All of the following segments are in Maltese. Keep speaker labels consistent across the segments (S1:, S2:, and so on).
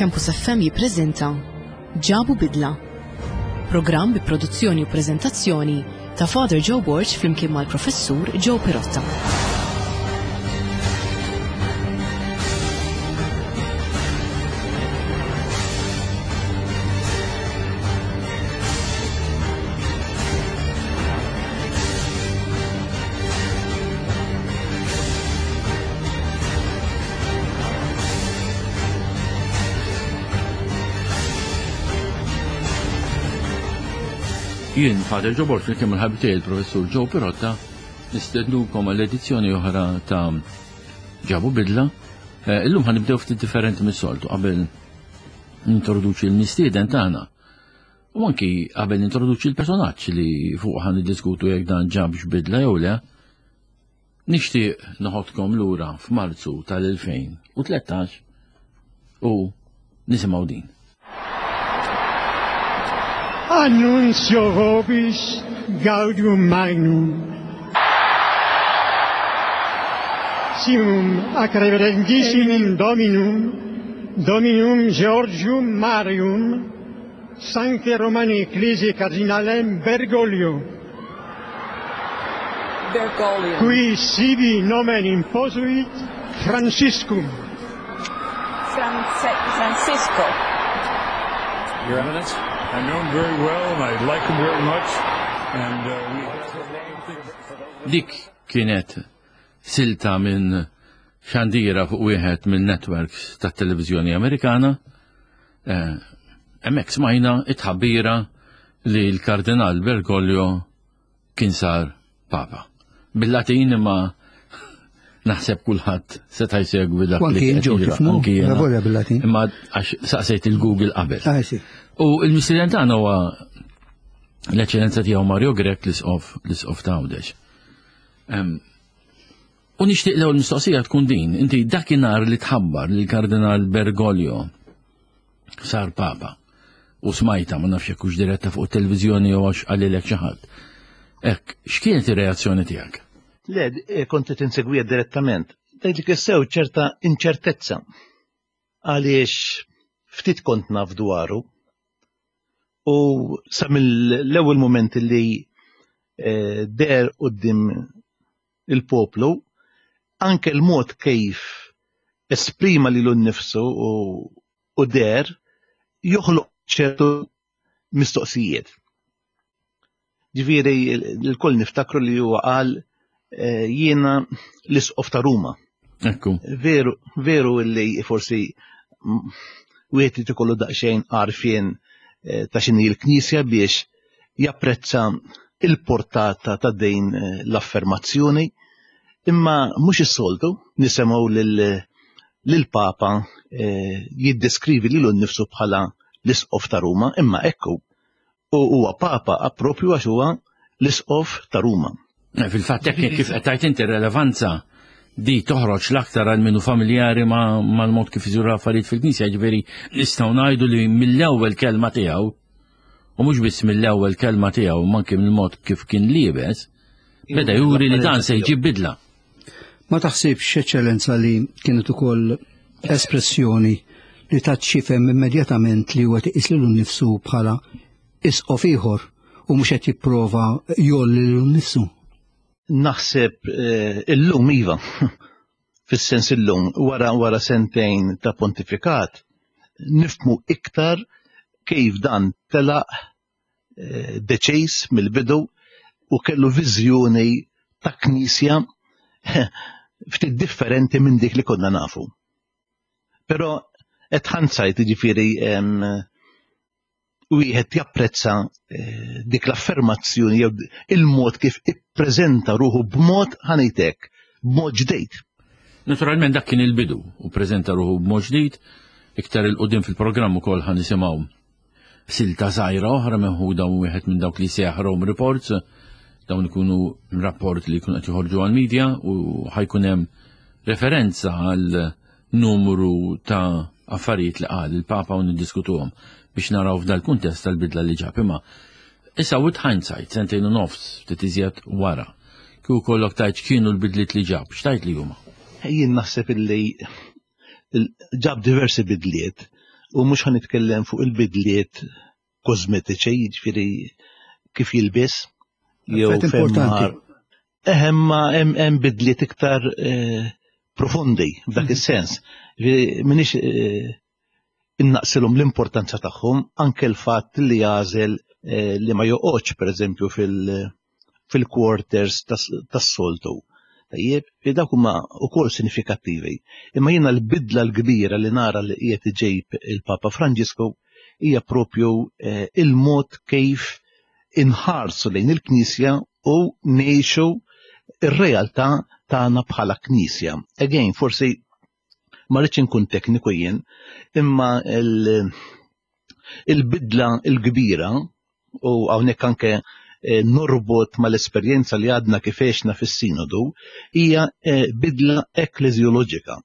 S1: Campus FM jippreżenta Ġabu Bidla. Programm bi produzzjoni u preżentazzjoni ta' Father Joe Borg flimkien mal-Professur Joe Pirotta.
S2: Jien, Father Joe Borg, flimkien mal-ħabib tiegħi il-Professur Joe Pirotta, nistednukom għall edizzjoni oħra ta' Ġabu Bidla. Eh, illum ħanibdew ftit differenti mis-soltu qabel nintroduċi l-mistieden tagħna. U anki qabel nintroduċi l-personaġġ li fuq ħan niddiskutu jekk dan ġabx bidla jew le, nixtieq noħodkom lura f'Marzu tal-2013 u nisimgħu din.
S3: Annunzio vobis gaudium magnum. Simum ac reverendissimum Dominum, Dominum Georgium Marium, Sancte Romani Ecclesiae Cardinalem Bergoglio.
S4: Bergoglio.
S3: Qui sibi nomen imposuit Franciscum.
S4: France Francisco.
S5: Your Eminence, I know him very well and I like him very much. And uh, we...
S2: Dik kienet silta minn xandira fuq wieħed minn networks tat-televiżjoni Amerikana. Eh, hemmhekk smajna it-tħabbira li l-Kardinal Bergoglio kien sar Papa. Bil-Latin imma naħseb kulħadd seta' jsegwi dak li
S6: kien ġew tifhmu, volja bil-Latin.
S2: Imma għax saqsejt il-Google qabel.
S6: Ah,
S2: U l-mistieden tagħna huwa l-eċċellenza tiegħu Mario Grech l-isqof l-isqof ta' Għawdex. U nixtieq l-ewwel mistoqsija tkun din, inti dakinhar li tħabbar li l-Kardinal Bergoglio sar Papa u smajta ma nafx jekk hux diretta fuq it-televiżjoni jew għax qalilek xi ħadd. Hekk, x'kienet ir-reazzjoni tiegħek?
S7: Le, eh, kont qed insegwiha direttament. Tgħidli sew ċerta inċertezza għaliex ftit kont naf dwaru u sa mill-ewwel mument li eh, der quddiem il-poplu, anke l-mod kif esprima lilu nnifsu u deher joħloq ċertu mistoqsijiet. Ġifieri l-koll niftakru li huwa qal eh, jiena l-isqof ta' Ruma.
S2: Ekku.
S7: Veru, veru li forsi wieħed irid ikollu daqsxejn għarfien eh, ta' x'inhi l-Knisja biex japprezza il-portata ta' din eh, l-affermazzjoni, imma mhux is-soltu nisimgħu lill-Papa eh, jiddeskrivi lilu nnifsu bħala l-Isqof ta' Ruma, imma ekku u huwa Papa appropju għax huwa l-Isqof ta' Ruma.
S2: Eh, fil-fatt hekk kif qed tgħid inti relevanza di toħroġ l-aktar għal minnu familjari mal-mod kif iżuru affarijiet fil-Knisja, ġifieri nistgħu ngħidu li mill-ewwel kelma tiegħu U mhux biss mill-ewwel kelma tiegħu imma anke mill-mod kif kien liebes, beda juri li dan se jġib bidla.
S6: Ma taħsibx, Eċċellenza, li kienet ukoll espressjoni li tat x'jifhem immedjatament li huwa qed iqis lilu nnifsu bħala isqof ieħor u mhux qed jipprova jgħolli lilu nnifsu?
S7: Naħseb eh, illum iva. Fis-sens illum wara wara sentejn ta' pontifikat nifhmu iktar kif dan telaq eh, deċiż mill-bidu u kellu viżjoni ta' knisja ftit differenti minn dik li konna nafu. Però qed ħansajt jiġifieri wieħed japprezza eh, dik l-affermazzjoni jew il-mod kif ippreżenta ruħu b'mod ħanejtek, b'mod ġdejt.
S2: Naturalment dak kien il-bidu u preżenta ruħu b'mod ġdid, iktar il-qudiem fil-programm ukoll ħa nisimgħu silta żgħira oħra meħuda wieħed minn dawk li seħ Rome Reports, dawn ikunu rapport li jkunu qed joħorġu għall-media u ħajkun hemm referenza għal numru ta' affarijiet li qal il-Papa u niddiskutuhom biex naraw f'dal-kuntest tal-bidla li ġab. Imma issa with hindsight, sentejn u nofs ftit iżjed wara, kieku kollok tajt x'kienu l-bidliet li ġab, x'tajt li huma?
S7: Jien naħseb illi ġab diversi bidliet. U mhux ħa nitkellem fuq il-bidliet kosmetiċi, jiġifieri kif jilbes jew
S6: importanti.
S7: Eħem ma hemm bidliet iktar eh, profondi f'dak mhm. is-sens. Minix eh, innaqsilhom l-importanza tagħhom anke l-fatt li jagħżel eh, li ma joqgħodx pereżempju fil-quarters tas-soltu. Tajjeb, li dawk huma wkoll sinifikattivi. Imma jiena l-bidla l-kbira li nara li qiegħed iġejb il-Papa Franġisku hija propju eh, il-mod kif inħarsu lejn il-Knisja u ngħixu ir-realtà tagħna bħala Knisja. Again, forsi ma rridx inkun tekniku jien, imma il-bidla l-kbira u hawnhekk anke eh, norbot mal-esperjenza li għadna kif għexna fis-sinodu hija eh, bidla ekkleżjoloġika.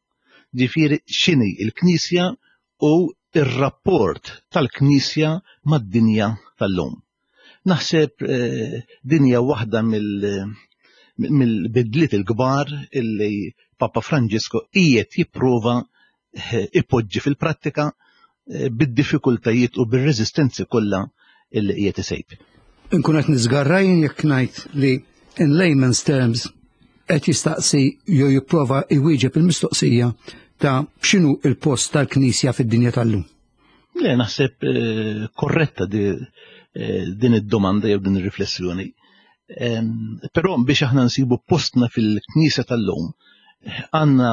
S7: Ġifieri x'inhi l-Knisja u r-rapport tal-Knisja mad-dinja tal-lum. Naħseb eh, din hija waħda mill-bidliet il-kbar illi Papa Franġisku qiegħed jipprova eh, ipoġġi fil-prattika eh, bid-diffikultajiet u bir-reżistenzi kollha illi qiegħed isejb.
S6: Inkun qed niżgarra jien jekk ngħid li in layman's terms qed jistaqsi jew jipprova jwieġeb il-mistoqsija ta' x'inhu il-post tal-Knisja fid-dinja tal-lum.
S7: Le, naħseb eh, korretta eh, din id-domanda jew din ir-riflessjoni. Però biex aħna nsibu postna fil-Knisja tal-lum, għandna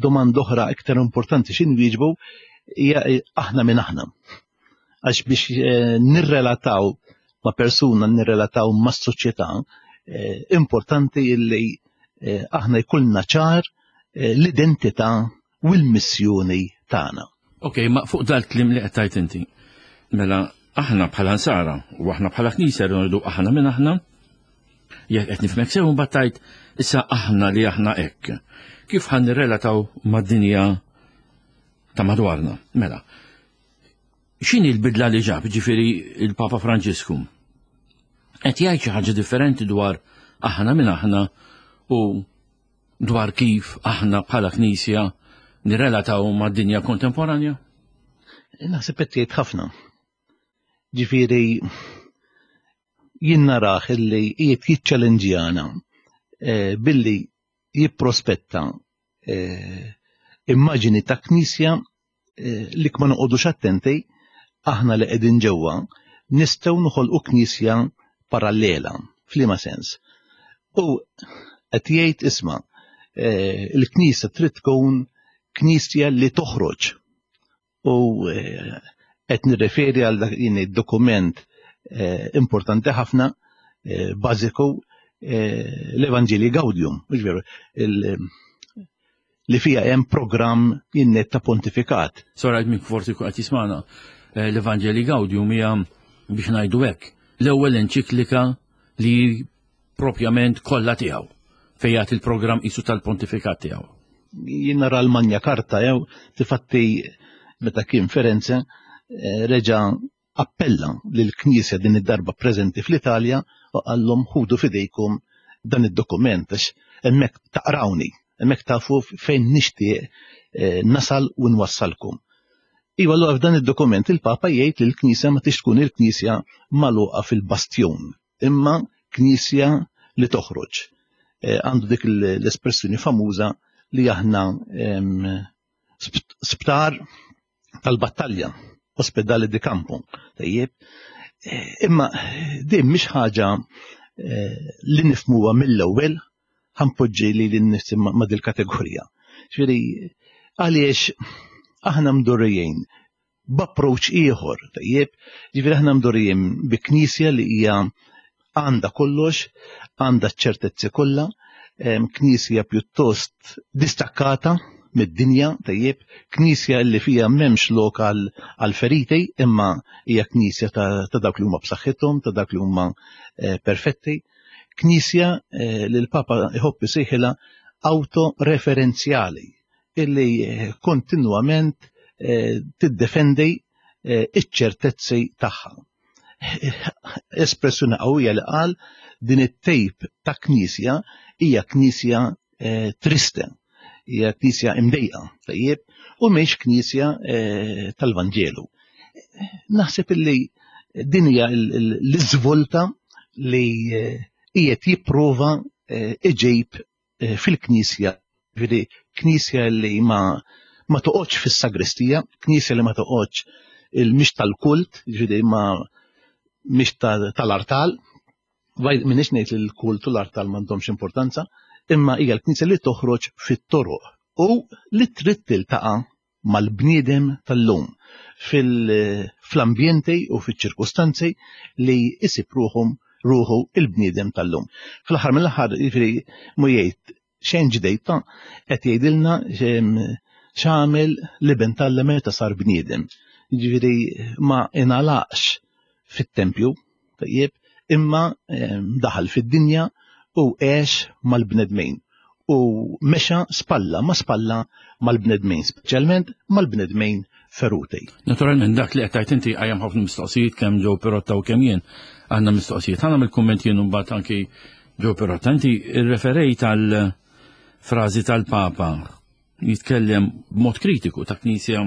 S7: domanda oħra iktar importanti xi nwieġbu hija eh, aħna minn aħna. Għax biex nirrelataw ma' persuna, nirrelataw ma' soċjetà, importanti illi aħna jkollna ċar l-identità u l-missjoni tagħna.
S2: Ok, ma fuq dal-klim li qed tgħid inti. Mela aħna bħala nsara u aħna bħala knisja rridu aħna minn aħna, jekk qed nifhmek sew mbagħad tgħid issa aħna li aħna hekk. Kif ħan nirrelataw mad-dinja ta' madwarna? Mela, x'inhi l-bidla li ġab, ġifieri il-Papa Franġisku? Qed jgħid xi ħaġa differenti dwar aħna minn aħna u dwar kif aħna bħala Knisja nirrelataw mad-dinja kontemporanja?
S7: Naħseb qed jgħid ħafna. Ġifieri jien narah illi qiegħed jiċċelenġjana eh, billi jipprospetta eh, immaġini ta' knisja eh, li ma noqogħdux attenti aħna li qegħdin ġewwa nistgħu noħolqu knisja parallela f'liema sens. U qed jgħid isma' eh, il-knisja trid tkun knisja li toħroġ u eh, qed nirreferi għal dak id-dokument importanti ħafna bażiku l-Evanġeli Gaudium, mhux veru, li fiha hemm programm jinnet ta' pontifikat.
S2: Sora min forsi qed jismana eh, l-Evanġeli Gaudium hija biex ngħidu hekk l-ewwel enċiklika li propjament kollha tiegħu fejn jagħti il-programm qisu tal-pontifikat tiegħu.
S7: Jien nara l-Manja Karta jew tifatti meta kien Firenze eh, reġa' appella lill-Knisja din id-darba preżenti fl-Italja u qallhom ħudu f'idejkom dan id-dokument għax hemmhekk taqrawni, hemmhekk tafu fejn nixtieq eh, nasal u nwassalkom. Iva allura f'dan id-dokument il-Papa jgħid li l-Knisja ma tix tkun il-Knisja magħluqa fil-bastjon, imma Knisja li toħroġ. Eh, għandu dik l-espressjoni famuża li aħna sptar tal-battalja, ospedale di campo. Tajjeb, eh, imma din mhix ħaġa eh, li nifmuha mill-ewwel ħanpoġġi li l-nifsi ma' dil-kategorija. Ġifieri għaliex aħna mdorrijin b'approach ieħor, tajjeb, ġifieri aħna mdorrijin bi knisja li hija għandha kollox, għandha ċ-ċertezzi kollha, knisja pjuttost distakkata mid-dinja, tajjeb, knisja li fija m'hemmx lok għal feriti, imma hija knisja ta' dawk li huma b'saħħithom, ta' dawk li huma eh, perfetti, knisja eh, li l-Papa jħobb isejħilha autoreferenzjali, illi eh, kontinwament tiddefendi iċ-ċertezzi tagħha. Espressjoni qawwija li qal din it-tejp ta' knisja hija knisja eh, triste. Hija knisja imdejqa, tajjeb, u mhix knisja eh, tal-Vanġelu. Naħseb illi din hija l-iżvolta li eh, qiegħed jipprova eh, iġib fil-knisja, ġifieri knisja li ma ma toqgħodx fis-sagristija, knisja li ma toqgħodx il-mhix tal-kult, ġifieri ma mhix tal-artal, Minix ngħid li l-kult u l-artal m'għandhomx importanza, imma hija l-Knisja li toħroġ fit-toroq u li trid tiltaqa' mal-bniedem tal-lum fl-ambjenti u fiċ-ċirkustanzi li jsib ruħhom ruħu il-bniedem tal-lum. Fl-aħħar mill-aħħar, jiġifieri mhu jgħid xejn ġdejt ta' qed jgħidilna x'għamel l-iben t'Alla meta sar bniedem. Jiġifieri ma ingħalaqx fit-tempju, tajjeb, imma daħal fid-dinja u għex mal-bnedmin u mexa spalla ma spalla mal-bnedmin, speċjalment mal-bnedmin feruti.
S2: Naturalment dak li qed tgħid inti qajjem ħafna mistoqsijiet kemm Joe Pirotta u kemm jien għandna mistoqsijiet. Ħa nagħmel kumment jien u mbagħad anki Joe Pirotta, inti rreferejt għal frażi tal-Papa jitkellem b'mod kritiku ta' knisja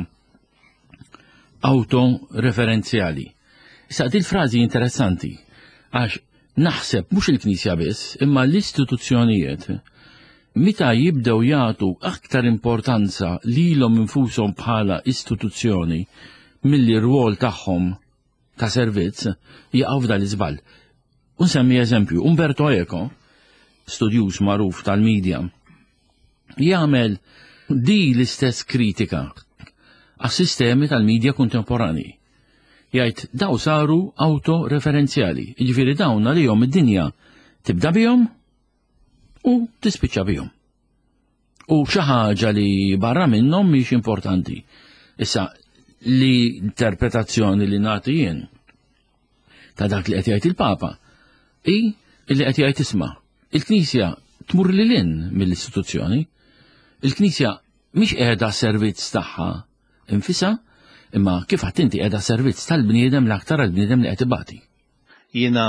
S2: autoreferenzjali. Issa din frażi interessanti għax naħseb mhux il-Knisja biss, imma l-istituzzjonijiet meta jibdew jagħtu aktar importanza lilhom infushom bħala istituzzjoni milli r-rwol tagħhom ta' servizz jaqgħu f'dan l-iżball. U nsemmi eżempju, Umberto Eco, studjuż magħruf tal-media, jagħmel di l-istess kritika għas-sistemi tal-media kontemporani. Jgħid daw saru autoreferenzjali, jiġifieri dawn għalihom id-dinja tibda bihom u tispiċċa bihom. U xi ħaġa li barra minnhom mhix importanti. Issa li interpretazzjoni li nagħti jien ta' dak li qed jgħid il-Papa hi li qed jgħid isma' il-Knisja tmur lil hinn mill-istituzzjoni. Il-Knisja mhix qiegħda servizz tagħha infisha, imma kif għedt inti qiegħda servizz tal-bniedem l-aktar għall-bniedem li qed ibati.
S7: Jiena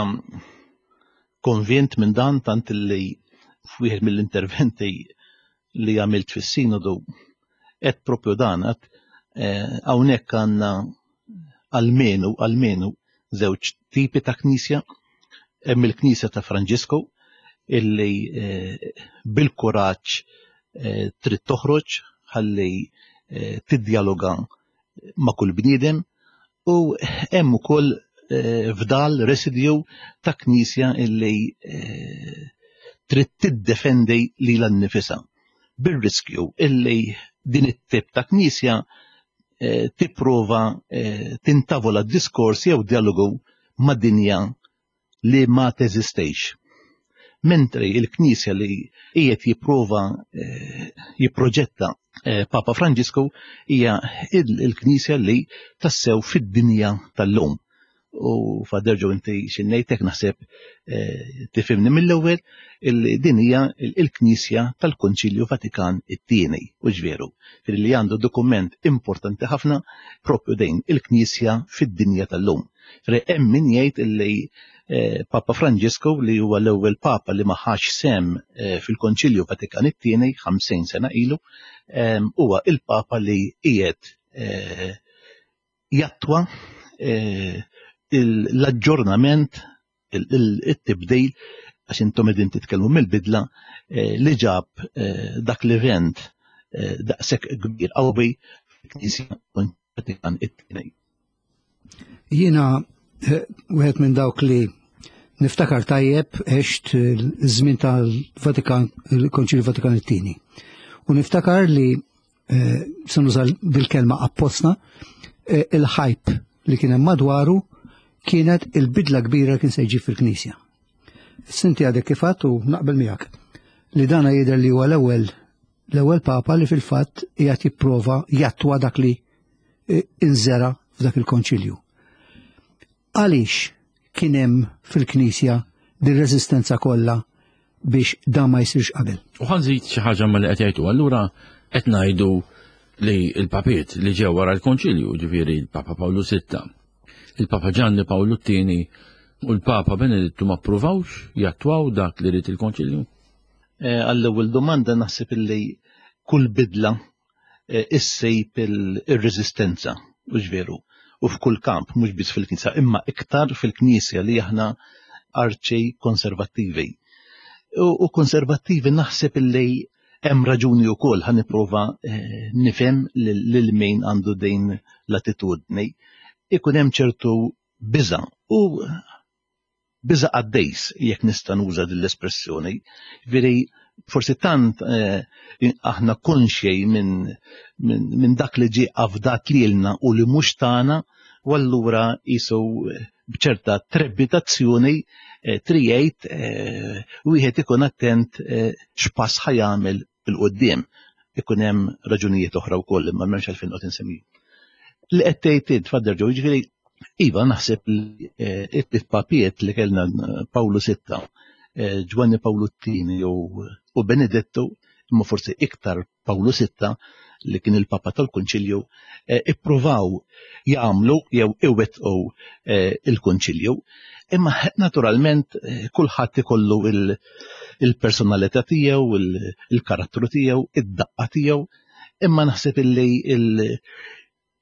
S7: konvint minn dan tant li f'wieħed mill-interventi li għamilt fis-sinodu qed propju dan għad eh, hawnhekk għandna almenu almenu żewġ tipi ta' knisja hemm il-knisja ta' Franġisku illi eh, bil-kuraġġ eh, trid toħroġ ħalli tiddjaloga ma' kull bniedem u hemm ukoll eh, fdal residju ta' knisja illi eh, trid tiddefendi lilha nnifisha bir-riskju illi din it-tip ta' knisja eh, tipprova tintavola diskors jew dialogu ma' dinja li ma teżistix. Mentri il-Knisja li qiegħed jipprova eh, jipproġetta eh, Papa Franġisku hija il-Knisja li tassew fid-dinja tal-lum. U faderġu inti xinnejtek naħseb eh, tifhimni mill-ewwel illi din hija il-Knisja tal-Konċilju Vatikan it-tieni u ġveru li għandu dokument importanti ħafna propju dejn il-Knisja fid-dinja tal-lum. Fri hemm min jgħid illi eh, Papa Franġisku li huwa l-ewwel Papa li ma ħax sem eh, fil-Konċilju Vatikan it-tieni 50 sena ilu, ehm, huwa il-Papa li qiegħed eh, jattwa l-aġġornament it-tibdil għax intom qegħdin titkellmu mill-bidla li ġab dak l-event daqshekk kbir qawwi fil-Knisja Vatikan it-tieni.
S6: Jiena eh, wieħed minn dawk li niftakar tajjeb għext żmien tal-Vatikan, il-Konċilju Vatikan it-tieni. U niftakar li eh, se nuża bil-kelma apposta, eh, il-ħajp li kien hemm madwaru kienet il-bidla kbira kien se jġib fil-Knisja. Sinti għadek kif għedt u naqbel miegħek li dana jidher li huwa l-ewwel l-ewwel papa li fil-fatt qiegħed jipprova jattwa dak li inżera f'dak il-konċilju. Għaliex kien hemm fil-Knisja din reżistenza kollha biex dan ma jsirx qabel?
S2: U ħa nżid xi ħaġa ma li qed jgħidu. Allura qed ngħidu li l-papiet li ġew wara l-konċilju, ġifieri l-Papa Pawlu VI, il-Papa Ġanni Pawlu t-tieni u l-Papa Benedittu ma ppruvawx jattwaw dak li ried il-konċilju?
S7: Eh, għall-ewwel domanda naħseb illi kull bidla eh, issejb il-reżistenza, u veru, u f'kull kamp, mhux biss fil-Knisja, imma iktar fil-Knisja li aħna arċi konservattivi. U konservattivi naħseb illi hemm raġuni wkoll ħa nipprova eh, nifhem lil min għandu din l-attitudni. Ikun hemm ċertu biża' u biża' qaddejs jekk nista' nuża din l-espressjoni. Veri forsi tant eh, aħna konxej minn min, min dak li ġie afdat lilna u li mhux tagħna, u allura jisu eh, b'ċerta trebbitazzjoni eh, trijejt eh, wieħed ikun attent eh, x'pass ħajamel il-qudiem. Ikun hemm raġunijiet oħra wkoll imma m'hemmx għalfejn qed insemmi. Li qed tgħid int Father Joe, jiġifieri iva naħseb li it-papiet li kellna Pawlu Sitta, Ġwanni Pawlu t-Tieni u Benedettu, imma forsi iktar Pawlu Sitta li kien il-Papa tal-Kunċilju, eh, ippruvaw jagħmlu jew iwettqu eh, il-Kunċilju. Imma naturalment eh, kulħadd ikollu il-personalità tiegħu, il-karattru tiegħu, id-daqqa tiegħu, imma naħseb illi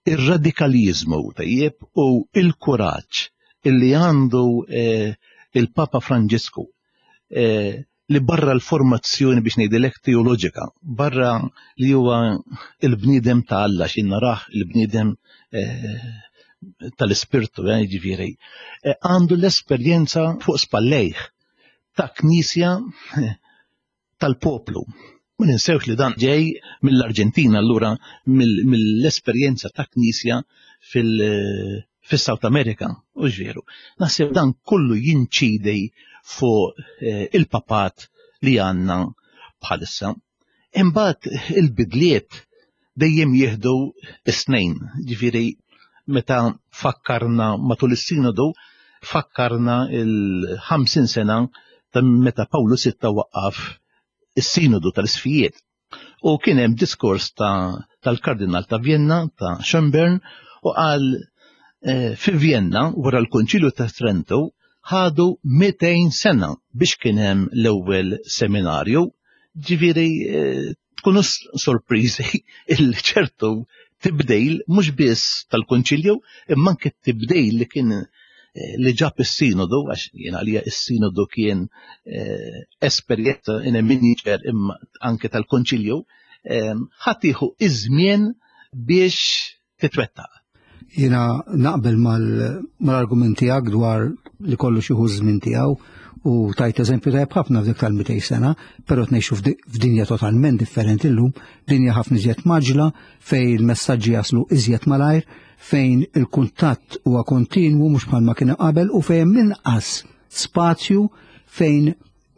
S7: ir-radikaliżmu tajjeb u il-kuraġġ illi għandu eh, il-Papa Franġisku eh, li barra l-formazzjoni biex ngħidilek teoloġika, barra li huwa il-bniedem ta' Alla xi narah il-bniedem eh, tal-ispirtu, jiġifieri, għandu l-esperjenza fuq spallejh ta' knisja tal-poplu. Ma ninsewx li dan ġej mill-Arġentina allura mill-esperjenza ta' knisja fil-South America, u veru. Naħseb dan kollu jinċidi fuq eh, il-papat li għandna bħalissa. Imbagħad il-bidliet dejjem jieħdu is-snejn, ġifieri meta fakkarna matul is-sinodu fakkarna il-50 sena ta' meta Pawlu Sitta waqqaf is-sinodu tal-isfijiet. U kien hemm diskors tal-Kardinal ta' Vienna ta' Schönborn u qal eh, fi Vienna wara l-Konċilju ta' Trento ħadu 200 sena biex kien hemm l-ewwel seminarju. Ġifieri eh, tkunu sorpriżi il ċertu tibdejl mhux biss tal-Konċilju imma anke tibdejl li kien eh, li ġab is-sinodu għax jien għalija is-sinodu kien eh, esperjenza in a miniature imma anke tal-Konċilju eh, ħadd jieħu iż-żmien biex titwettaq.
S6: Jiena naqbel mal-argument tiegħek dwar li kollu xi żmien tiegħu u tajt eżempju tajjeb ħafna f'dik tal-200 sena, però tnejxu f'dinja totalment differenti llum, dinja ħafna iżjed maġla fejn il-messaġġi jaslu iżjed malajr, fejn il-kuntatt huwa kontinwu mhux bħalma kien qabel u fejn minqas spazju fejn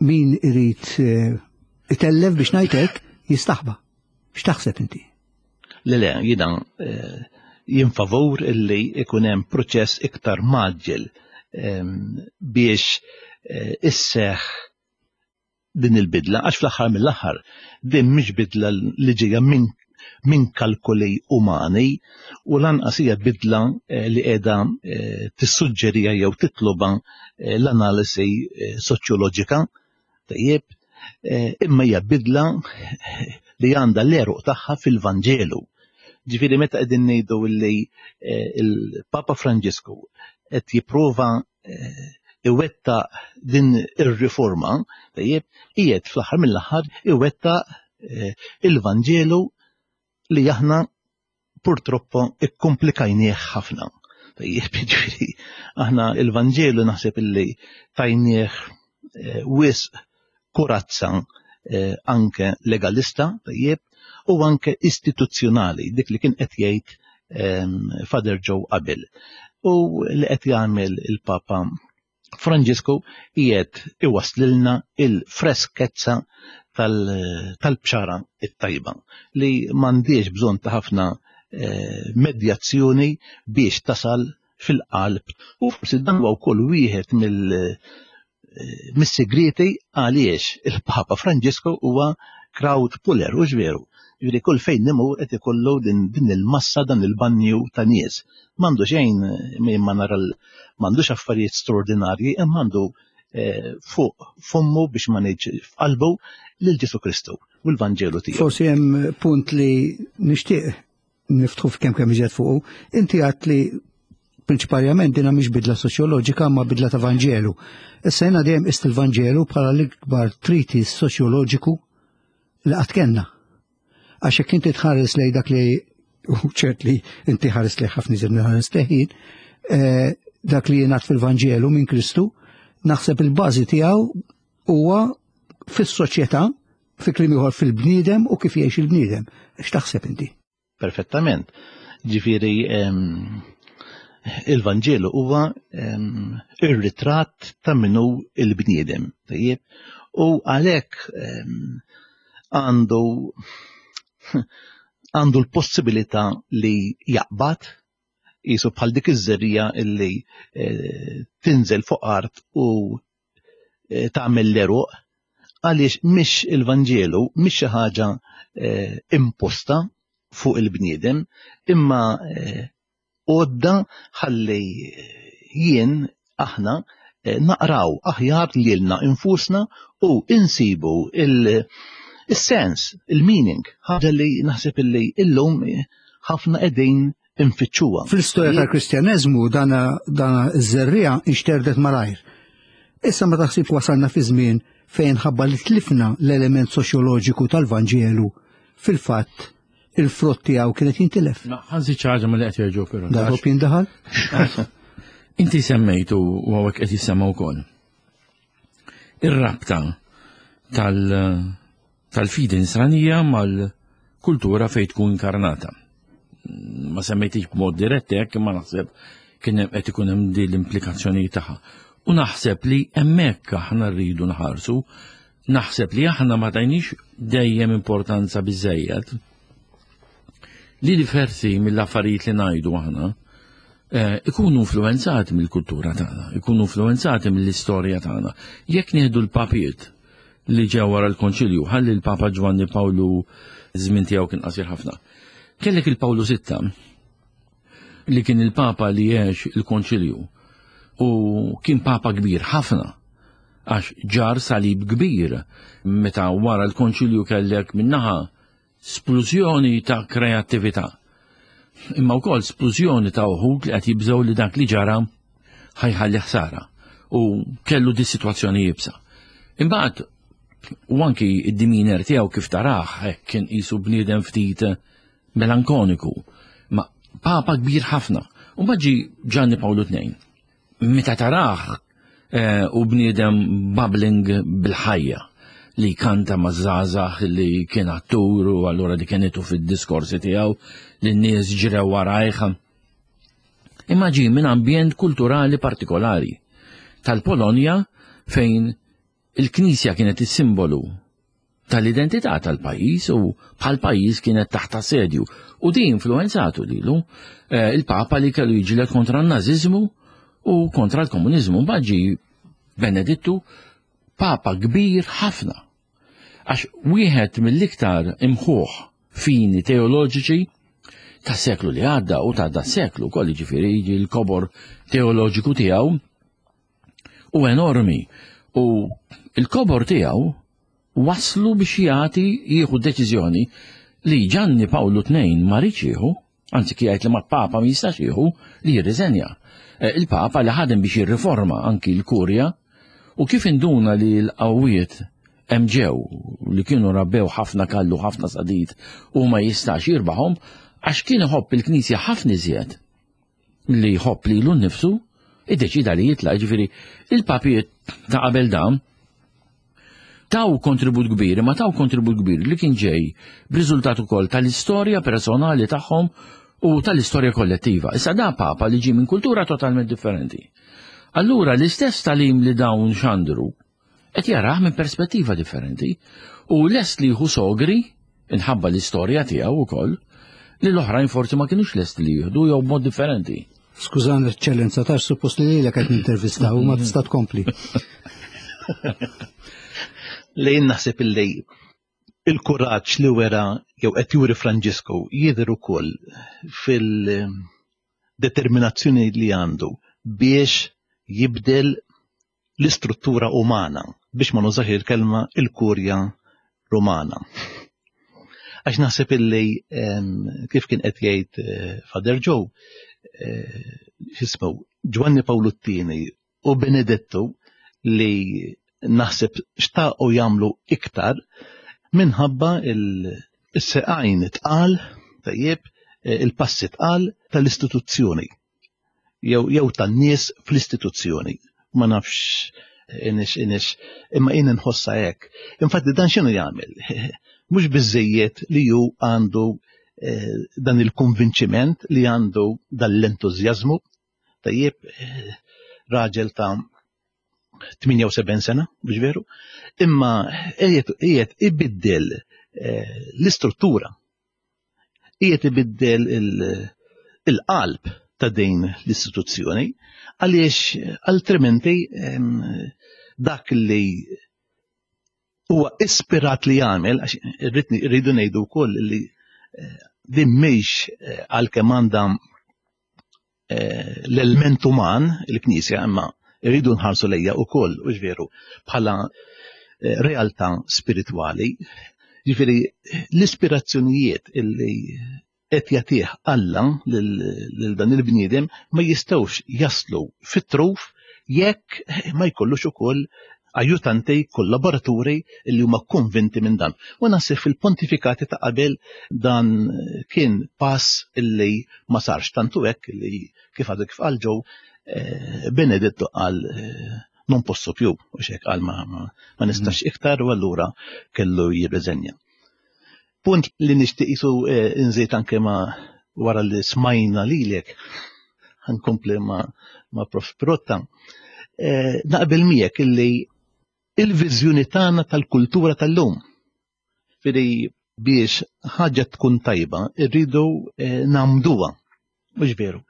S6: min irid eh, itellef biex ngħid hekk jistaħba. X'taħseb inti?
S7: Le le, jiena eh, jien favur illi ikun hemm proċess iktar maġġel ehm, biex eh, isseħ din il-bidla, għax fl-aħħar mill-aħħar din mhix bidla li ġejja minn min kalkoli umani u lanqas hija bidla eh, li qiegħda tissuġġerija jew titloba l-analisi soċjoloġika. Tajjeb, eh, imma hija bidla li għandha l-eruq tagħha fil-Vanġelu. Ġifieri meta qegħdin ngħidu li eh, il-Papa Franġisku qed jipprova eh, iwetta din ir-riforma, tajjeb, qiegħed fl-aħħar mill-aħħar iwetta il-Vanġelu li aħna purtroppo ikkomplikajnieh ħafna. Tajjeb, ġifieri, aħna il-Vanġelu naħseb illi tajnieh eh, wisq kurazza eh, anke legalista, tajjeb, u anke istituzzjonali, dik li kien qed jgħid ehm, Father Joe qabel. U li qed jagħmel il-Papa Franġisku qiegħed iwasslilna il-freskezza tal-bxara it-tajba li m'għandix bżonn ta' ħafna eh, medjazzjoni biex tasal fil-qalb u forsi dan huwa wkoll wieħed mill eh, mis-sigrieti għaliex il-Papa Franġisku huwa crowd puller u veru. Ġifieri kull fejn nimur qed ikollu din, din il-massa dan il-banju ta' nies. M'għandu xejn ma nara m'għandux affarijiet straordinarji imma għandu eh, fuq fommu biex ma ngħidx f'qalbu lil Ġesu Kristu u l-Vanġelu tiegħu.
S6: Forsi hemm punt li nixtieq niftħu f'kemm kemm iżjed fuqu. Inti għadt li prinċiparjament dina mhix bidla soċjoloġika ma bidla ta' Vanġelu. Issa jiena dejjem qist il-Vanġelu bħala l-ikbar treatise soċjoloġiku li qatt kellna. Għax jekk inti tħares lej dak li u ċert li inti ħares lej ħafna iżjed minn ħares lejn, eh, dak li jingħad fil-Vanġelu minn Kristu, naħseb il-bażi tiegħu huwa fis-soċjetà, fi kliem ieħor fil-bniedem u kif jgħix il-bniedem. X'taħseb inti?
S7: Perfettament. Ġifieri il-Vanġelu huwa ir-ritratt ta' minnu il-bniedem. Tajjeb? U għalhekk għandu għandu l-possibilità li jaqbad jisu bħal dik iż-żerrija illi eh, tinżel fuq art u eh, tagħmel l-eruq għaliex mhix il-Vanġelu mhix xi ħaġa eh, imposta fuq il-bniedem imma eh, għodda ħalli jien aħna naqraw aħjar lilna infusna u insibu il-sens, il-meaning, ħaġa li naħseb illi illum ħafna qegħdin infittxuha.
S6: Fl-istorja tal-Kristjaneżmu dana dana ż-żerriegħa inxterdet malajr. Issa ma taħsib wasalna fi żmien fejn ħabba li tlifna l-element soċjoloġiku tal-Vanġelu fil-fatt il-frott tiegħu kienet jintilef.
S2: Ma ħanżid xi ħaġa milli qed jerġgħu però.
S6: Darba jindaħal?
S2: Inti semmejtu u hawnhekk qed jissemma wkoll. Ir-rabta tal- tal-fidi nisranija mal-kultura fejn tkun inkarnata. Ma semmejtix b'mod dirett hekk imma naħseb kien hemm qed ikun hemm din l-implikazzjoni tagħha. U naħseb li hemmhekk aħna rridu nħarsu, naħseb li aħna ma tajniex dejjem importanza biżejjed li diversi mill-affarijiet li ngħidu aħna eh, ikunu influenzati mill-kultura tagħna, ikunu influenzati mill-istorja tagħna. Jekk nieħdu l-papiet li ġew wara l-Konċilju, ħalli l-Papa Ġwanni Pawlu żmien tiegħu kien qasir ħafna. Kellek il-Pawlu Sitta li kien il-Papa li għex il-Konċilju u kien Papa kbir ħafna għax ġar salib kbir meta wara l-Konċilju kellek minnaħa splużjoni ta' kreattività. Imma wkoll splużjoni ta' uħud li qed jibżgħu li dak li ġara ħajħalli ħsara u kellu di situazzjoni jibsa. Imbagħad u anki id-diminer tiegħu kif taraħ hekk kien qisu bniedem ftit melankoniku, ma papa kbir ħafna. U ġi Gianni Paolo II. Meta tarah eh, u bniedem bubbling bil-ħajja li kanta ma' żgħażagħ li kien attur u allura di kienetu fid-diskorsi tiegħu li n-nies ġrew warajh. Imma ġie minn ambjent kulturali partikolari tal-Polonja fejn Il-Knisja kienet is-simbolu tal-identità tal-pajjiż u bħal pajjiż kienet taħt assedju u di influenzatu lilu eh, il-Papa li kellu jiġilet kontra n-Naziżmu u kontra l-komuniżmu. Mbagħad ġie Benedittu Papa kbir ħafna. Għax wieħed mill-iktar imħuħ fini teoloġiċi ta' seklu li għadda u ta' da seklu kolli ġifieri l-kobor teoloġiku tiegħu u enormi u il-kobor tiegħu waslu biex jagħti jieħu deċiżjoni li Ġanni Pawlu II ma riedx jieħu, anzi kien jgħid li ma Papa ma jistax jieħu li jirriżenja. Eh, il-Papa li ħadem biex jirriforma anki l-Kurja u kif induna li l-qawwiet hemm ġew li kienu rabbew ħafna kallu ħafna sadid u ma jistax jirbaħhom għax kien iħobb il-Knisja ħafna iżjed li jħobb lilu nnifsu, iddeċida li jitlaq, ġifieri il-papijiet ta' qabel dan taw kontribut kbir, ma taw kontribut kbir li kien ġej b'riżultat ukoll tal-istorja personali tagħhom u tal-istorja kollettiva. Issa da papa li ġie minn kultura totalment differenti. Allura l-istess talim li dawn xandru qed jarah minn perspettiva differenti u lest li jieħu sogri inħabba l-istorja tiegħu wkoll li l-oħrajn forsi ma kinux lesti li jieħdu jew b'mod differenti.
S6: Skużani, eċċellenza, tax suppost li lilek qed nintervistaw u ma tista' tkompli.
S7: Lejn naħseb illi il-kuraġġ li wera jew qed juri Franġisku jidher ukoll fil-determinazzjoni li għandu biex jibdel l-istruttura umana, biex ma nużax il-kelma il-kurja Rumana. Għax naħseb illi kif kien qed jgħid eh, Father Joe, eh, x'ismu Ġwanni Pawlu t-tieni u Benedettu li naħseb xtaqu jagħmlu iktar minħabba il-seqajn tqal tajjeb eh, il-passi tqal tal-istituzzjoni jew jew tan-nies fl-istituzzjoni. Ma nafx inix inix imma jien inħossha hekk. Infatti dan x'inhu jagħmel? Mhux biżejjed li hu għandu eh, dan il-konvinċiment li għandu dan l-entużjażmu tajjeb eh, raġel ta' 78 sena, biex veru, imma qiegħed ibiddel eh, l-istruttura qiegħed ibiddel il-qalb ta' din l-istituzzjoni għaliex altrimenti dak li huwa ispirat li jagħmel għax irridu ngħidu wkoll li eh, din mhix eh, għalkemm għandha eh, l-element uman, il-Knisja, imma rridu nħarsu lejja wkoll, u veru, bħala eh, realtà spiritwali. Ġifieri l-ispirazzjonijiet illi qed jagħtih Alla lil dan il-bniedem ma jistgħux jaslu fit-truf jekk ma jkollux ukoll ajutanti, kollaboraturi li huma konvinti minn dan. U naħseb fil-pontifikati ta' qabel dan kien pass illi ma sarx tantu hekk li kif għadu kif qal ġew eh, Benedetto qal eh, non posso più, u xek qal ma, ma nistax mm. iktar u allura kellu jirriżenja. Punt li nixtieq isu eh, nżid anke ma wara li smajna lilek ħankompli ma, ma Prof. Pirotta. Eh, naqbel miegħek illi il-viżjoni tagħna tal-kultura tal-lum. Firi biex ħaġa tkun tajba, irridu eh, namduha. Mhux veru.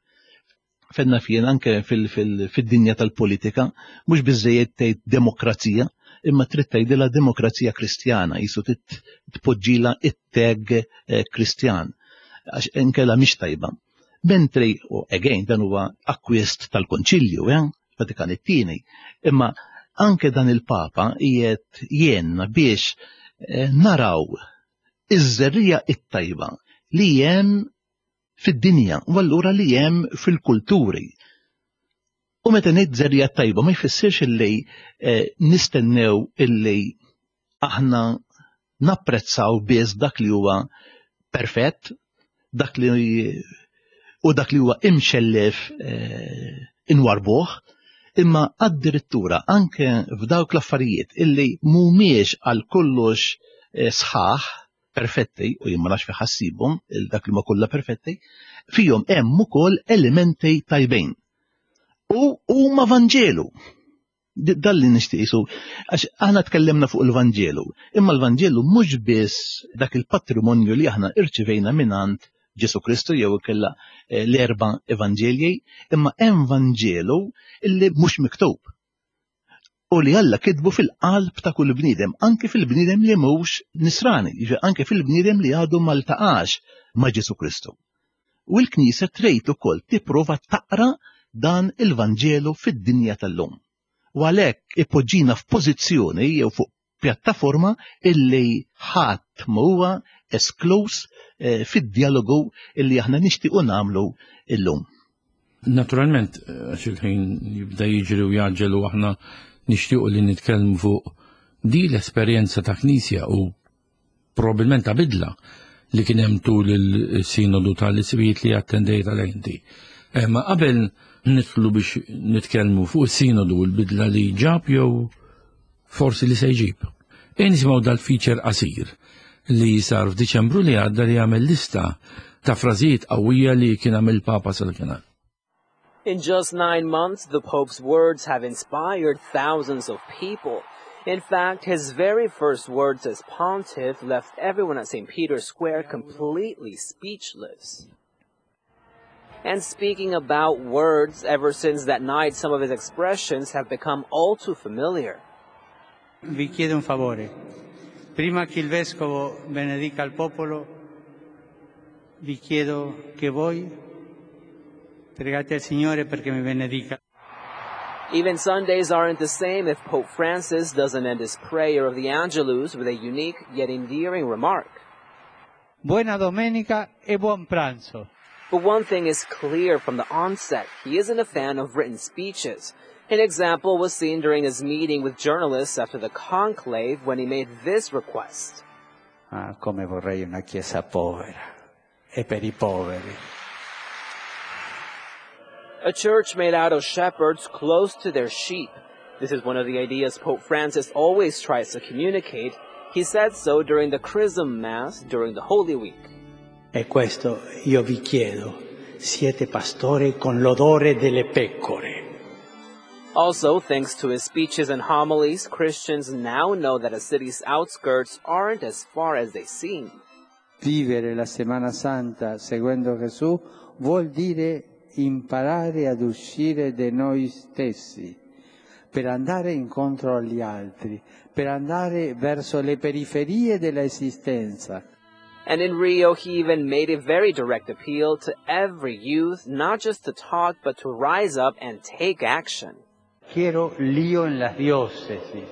S7: Fenna fien anke fid-dinja tal-politika, mhux biżejjed tgħid demokrazija, imma trid tgħidilha demokrazija kristjana, jisu tpoġġila it-tag eh, kristjan, għax inkella mhix tajba. Mentri, u again, dan huwa akkwist tal-Konċilju, eh, Vatikan it-tieni, imma anke dan il-Papa qiegħed jenna biex eh, naraw iż-żerrija it-tajba li hemm fid-dinja u allura li hemm fil-kulturi. U meta ngħid żerrija tajba ma jfissirx illi eh, nistennew illi aħna napprezzaw biss dak li huwa perfett, dak li u dak li huwa imxellef eh, inwarbuh, imma addirittura anke f'dawk l-affarijiet illi mhumiex għal kollox eh, sħaħ perfetti, u jien ma nafx fi ħassibhom dak li ma kollha perfetti, fihom hemm ukoll elementi tajbin. U huma Vanġelu. Dan li nixtieq isu, għax aħna tkellimna fuq il-Vanġelu, imma l-Vanġelu mhux biss dak il-patrimonju li aħna irċivejna mingħand Ġesu Kristu jew ikella eh, l-erba' evanġelji, imma hemm Vanġelu illi mhux miktub. U li Alla kitbu fil-qalb ta' kull bniedem, anke fil-bniedem li mhux nisrani, jiġifieri anke fil-bniedem li għadu ma ltaqax ma' Ġesu Kristu. U l-Knisja trid ukoll tipprova taqra dan il-Vanġelu fid-dinja tal-lum. U għalhekk ipoġġina f'pożizzjoni jew fuq pjattaforma illi ħadd ma huwa eskluż eh, fid-dialogu illi aħna nixtiequ nagħmlu illum.
S2: Naturalment, għax il-ħin jibda jiġri u jaġġel u aħna nixtiequ li nitkellmu fuq di l-esperjenza ta' Knisja u probabilment ta' bidla li kien hemm tul il-sinodu tal-isbijiet li attendejt għal inti. Eh, ma qabel nidħlu biex nitkellmu fuq is-sinodu u l-bidla li ġab jew forsi li se jġib. E nisimgħu dal-feature qasir li sar f'Diċembru li għadda li għamel lista ta' frażijiet qawwija li kien għamel Papa sal-kienar.
S8: In just nine months, the Pope's words have inspired thousands of people. In fact, his very first words as pontiff left everyone at St. Peter's Square completely speechless. And speaking about words, ever since that night, some of his expressions have become all too familiar.
S3: Vi chiedo un favore. Prima che il Vescovo benedica il popolo, vi chiedo che voi pregate al Signore perché mi benedica.
S8: Even Sundays aren't the same if Pope Francis doesn't end his prayer of the Angelus with a unique yet endearing remark.
S3: Buona domenica e buon pranzo.
S8: But one thing is clear from the onset, he isn't a fan of written speeches. An example was seen during his meeting with journalists after the conclave when he made this request.
S3: Ah, come vorrei una chiesa povera e per i poveri.
S8: A church made out of shepherds close to their sheep. This is one of the ideas Pope Francis always tries to communicate. He said so during the Chrism Mass during the Holy Week.
S3: E questo io vi chiedo, siete pastori con l'odore delle pecore.
S8: Also, thanks to his speeches and homilies, Christians now know that a city's outskirts aren't as far as they seem.
S3: Vivere la Semana Santa seguendo Gesù vuol dire imparare ad uscire da noi stessi per andare incontro agli altri, per andare verso le periferie dell'esistenza.
S8: And in Rio, he even made a very direct appeal to every youth, not just to talk, but to rise up and take action.
S3: Quiero lío en las diócesis.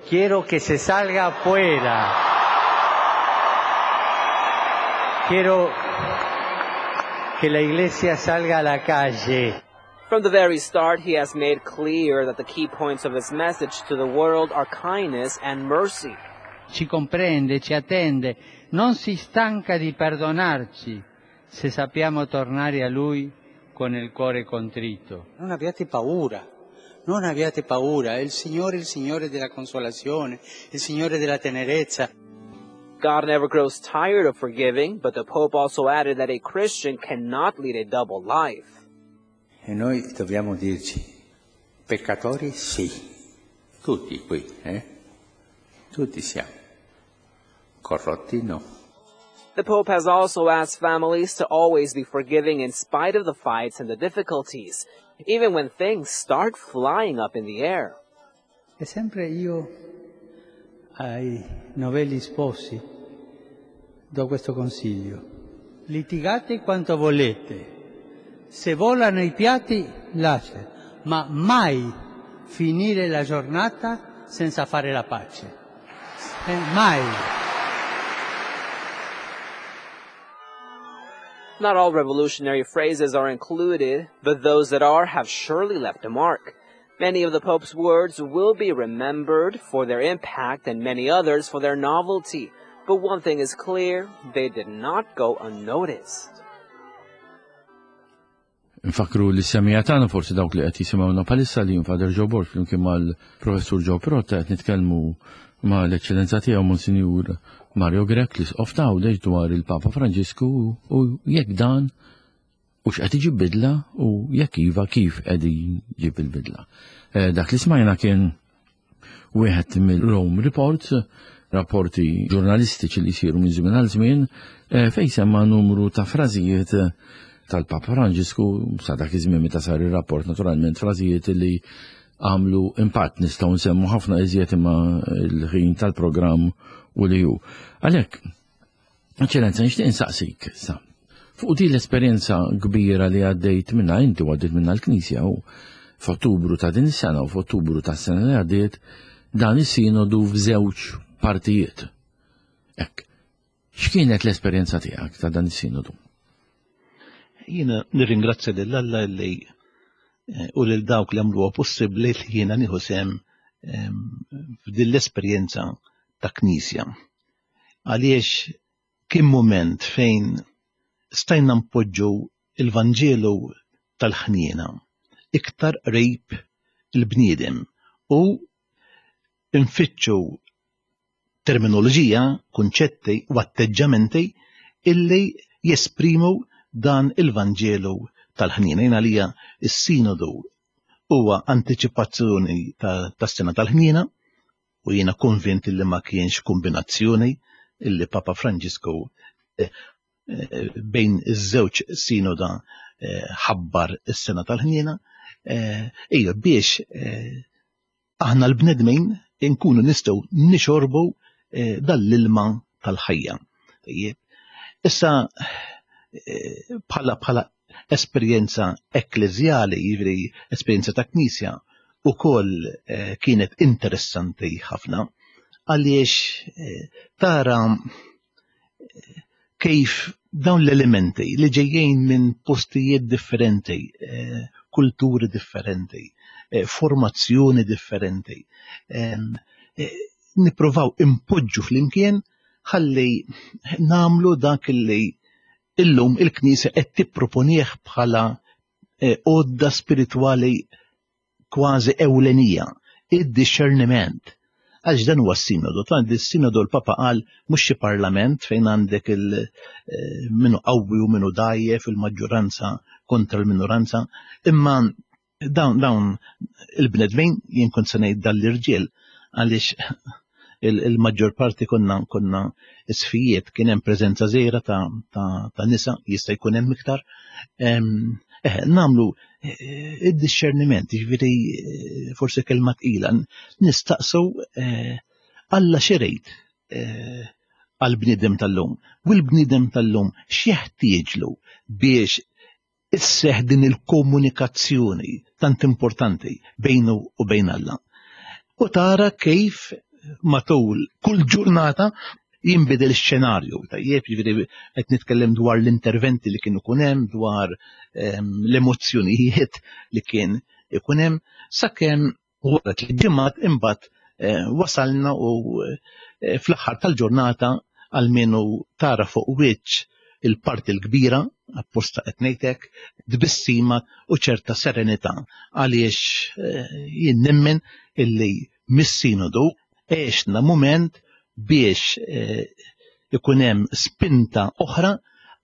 S3: Quiero que se salga afuera. Quiero que la iglesia salga a la calle.
S8: From the very start, he has made clear that the key points of his message to the world are kindness and mercy.
S3: Ci comprende, ci attende, non si stanca di perdonarci se sappiamo tornare a Lui con il cuore contrito. Non abbiate paura, non abbiate paura, il Signore è il Signore della consolazione, il Signore della tenerezza.
S8: God never grows tired of forgiving, but the Pope also added that a Christian cannot lead a double life.
S3: E noi dobbiamo dirci, peccatori sì, tutti qui, eh? Tutti siamo, corrotti no.
S8: The Pope has also asked families to always be forgiving in spite of the fights and the difficulties, even when things start flying up in the air.
S3: E sempre io ai novelli sposi do questo consiglio. Litigate quanto volete, se volano i piatti lascia, ma mai finire la giornata senza fare la pace. Mai.
S8: Not all revolutionary phrases are included, but those that are have surely left a mark. Many of the Pope's words will be remembered for their impact and many others for their novelty. But one thing is clear, they did not go unnoticed.
S2: Nfakru li semija tagħna forsi dawk li qed jisimgħuna bħalissa li Father Joe Borg flimkien mal-Professur Joe Pirotta qed nitkellmu ma' l-Eċċellenza tiegħu Monsinjur Mario Grech l-Isqof ta' Għawdex dwar il-Papa Franġisku u jekk dan u x'qed iġib bidla u jekk iva kif qed iġib il-bidla. Eh, dak li smajna kien wieħed mill-Rome Reports, rapporti ġurnalistiċi li jsiru minn żmien għal żmien, eh, fejn semma numru ta' frażijiet tal-Papa Franġisku sa dak iż-żmien meta sar ir-rapport naturalment frażijiet li għamlu impatt nistgħu nsemmu ħafna iżjed imma l-ħin tal-programm u li hu. Għalhekk, Eċċellenza, nixtieq insaqsik sa fuq din l-esperjenza kbira li għaddejt minna inti u għaddejt minna l-Knisja u f'Ottubru ta' din is-sena u f'Ottubru tas-sena li għaddiet dan is-sinodu f'żewġ partijiet. Hekk, x'kienet l-esperjenza tiegħek ta' dan is-sinodu?
S7: Jiena nirringrazzja lil Alla li eh, u lil dawk li għamluha possibbli li jiena nieħu sehem ehm, f'din l-esperjenza ta' knisja. Għaliex kien mument fejn stajna npoġġu il-Vanġelu tal-ħniena iktar qrib il-bniedem u nfittxu terminoloġija, kunċetti u atteġġamenti illi jesprimu dan il-Vanġelu tal-ħniena. Jien għalija s-sinodu huwa antiċipazzjoni tas-sena tal-ħniena u jiena konvint illi ma kienx kombinazzjoni illi Papa Franġisku eh, eh, bejn iż-żewġ sinoda eh, ħabbar is-sena tal-ħniena, ejja biex aħna l-bnedmin inkunu nistgħu nixorbu eh, dal-ilma tal-ħajja. Issa eh, bħala bħala esperjenza ekkleżjali, jiġifieri esperjenza ta' knisja, ukoll eh, kienet interessanti ħafna għaliex eh, tara eh, kif dawn l-elementi li ġejjin minn postijiet differenti, kulturi differenti, formazzjoni differenti, nippruvaw impoġġu flimkien ħalli namlu dak li illum il-Knisja qed tipproponih bħala għodda spiritwali kważi ewlenija, id-dixxerniment. Għaliex dan huwa s-sinodu, ta' s-sinodu l-Papa qal mhux xi parlament fejn għandek il eh, minu qawwi u minu dajjef il-maġġoranza kontra l-minoranza, imma dawn dawn il-bnedmin jien kont se ngħid dal-irġiel għaliex il-maġġor parti konna konna isfijiet kien hemm preżenza żgħira ta', ta, ta nisa jista' jkun hemm iktar. Eh, namlu eh, id-discerniment, jiġifieri eh, forsi kelma tqila, nistaqsu eh, Alla xirejt għal-bniedem tal-lum. U l-bniedem tal-lum x'jeħtieġlu biex isseħħ din il-komunikazzjoni tant importanti bejnu u bejn Alla. U tara kif matul kull ġurnata jinbidel ix-xenarju. Tajjeb, jiġifieri qed nitkellem dwar l-interventi li kienu kun hemm, dwar ehm, l-emozzjonijiet li kien ikun hemm, sakemm Wara tliet ġimgħat imbagħad eh, wasalna u eh, fl-aħħar tal-ġurnata għalmenu tara fuq wiċċ il-parti l-kbira, apposta qed ngħidlek, tbissima u ċerta serenità għaliex eh, jien nemmen illi mis-sinodu għexna mument biex ikun hemm spinta oħra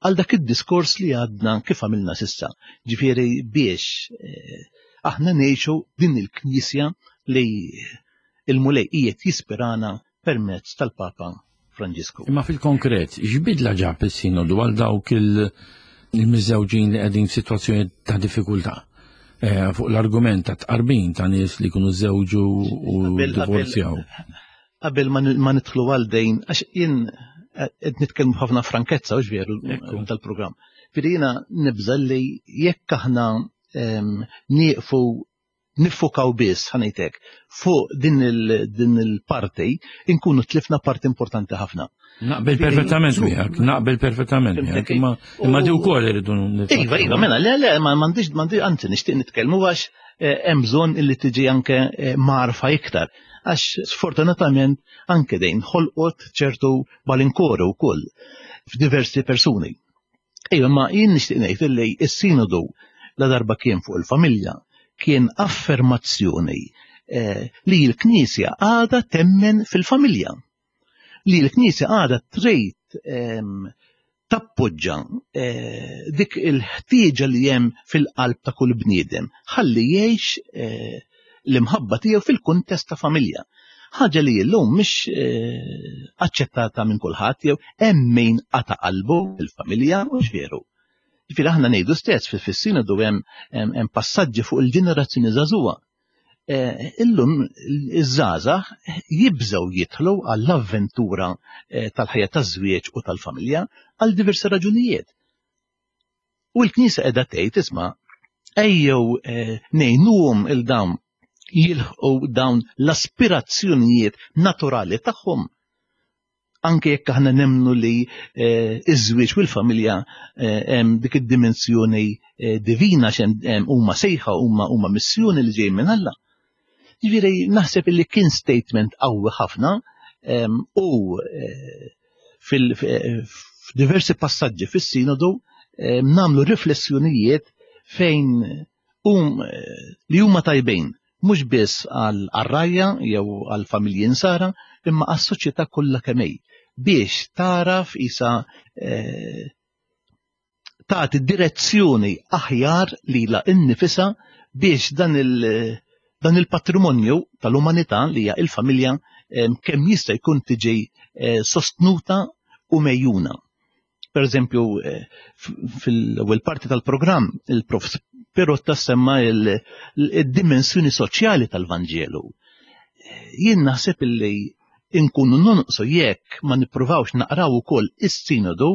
S7: għal dak id-diskors li għadna kif għamilna sissa. Ġifieri biex eh, aħna ngħixu din il-Knisja li il-Mulej qiegħed jispirana permezz tal-Papa Franġisku.
S2: Imma fil-konkret, x'bidla ġab is-sinodu għal dawk il-miżżewġin li qegħdin f'sitwazzjoni ta' diffikultà? Eh, fuq l-argument ta' tqarbin ta' nies li jkunu żewġu u divorzjaw.
S7: Qabel ma nidħlu għal dejn, għax jien eh, qed nitkellmu ħafna frankezza u veru tal-programm. Firri jiena nibża li jekk aħna ehm, nieqfu nifukaw biss ħanejtek fuq din il-parti inkunu tlifna parti importanti ħafna.
S2: Naqbel perfettament miegħek, naqbel perfettament miegħek, imma imma di wkoll irridu
S7: Iva, iva, mela, le, le, ma m'għandix m'għandix anzi nixtieq nitkellmu għax eh, hemm bżonn illi tiġi anke eh, marfa iktar. Għax sfortunatament anke dejn ħolqot ċertu malinkoru wkoll f'diversi persuni. Ejja, ma jien nixtieq ngħid illi s-sinodu la darba kien fuq il-familja kien affermazzjoni eh, li l-Knisja għadha temmen fil-familja. Li l-Knisja għadha trid ehm, tappoġġa eh, dik il-ħtieġa li hemm fil-qalb ta' kull bniedem ħalli jgħix eh, l-imħabba tiegħu fil-kuntest ta' familja. Ħaġa li llum mhix eh, aċċettata minn kulħadd jew hemm min qata' qalbu fil-familja mhux veru. Ġifieri aħna ngħidu stess fis-sinodu hemm passaġġi fuq il-ġenerazzjoni żagħżugħa. Eh, illum iż-żgħażagħ jibżgħu jidħlu għall-avventura eh, tal-ħajja taż-żwieġ u tal-familja għal diversi raġunijiet. U l-Knisja qiegħda tgħid isma' ejjew eh, ngħinuhom il dawn jilħqu dawn l-aspirazzjonijiet naturali tagħhom anke jekk aħna nemmnu li eh, iż-żwieġ u l-familja eh, hemm dik id-dimensjoni eh, divina x'hemm huma sejħa huma huma missjoni li ġej minn Alla. Ġifieri naħseb li kien statement qawwi ħafna ehm, u fil-diversi passaġġi fis-sinodu ehm, nagħmlu riflessjonijiet fejn um, li huma tajbin mhux biss għall-rgħajja jew għall-familji Nsara imma għas-soċjetà kollha kemm hi biex tagħraf isa eh, tagħti direzzjoni aħjar lilha innifisha biex dan il- dan il-patrimonju tal-umanità li hija il-familja eh, kemm jista' jkun tiġi eh, sostnuta u mejjuna. Per eżempju, eh, fil-ewwel parti tal-programm il-prof Pirotta semma il-dimensjoni soċjali tal-Vanġelu. Eh, jien naħseb illi inkunu nonqsu jekk ma nippruvawx naqraw ukoll is-sinodu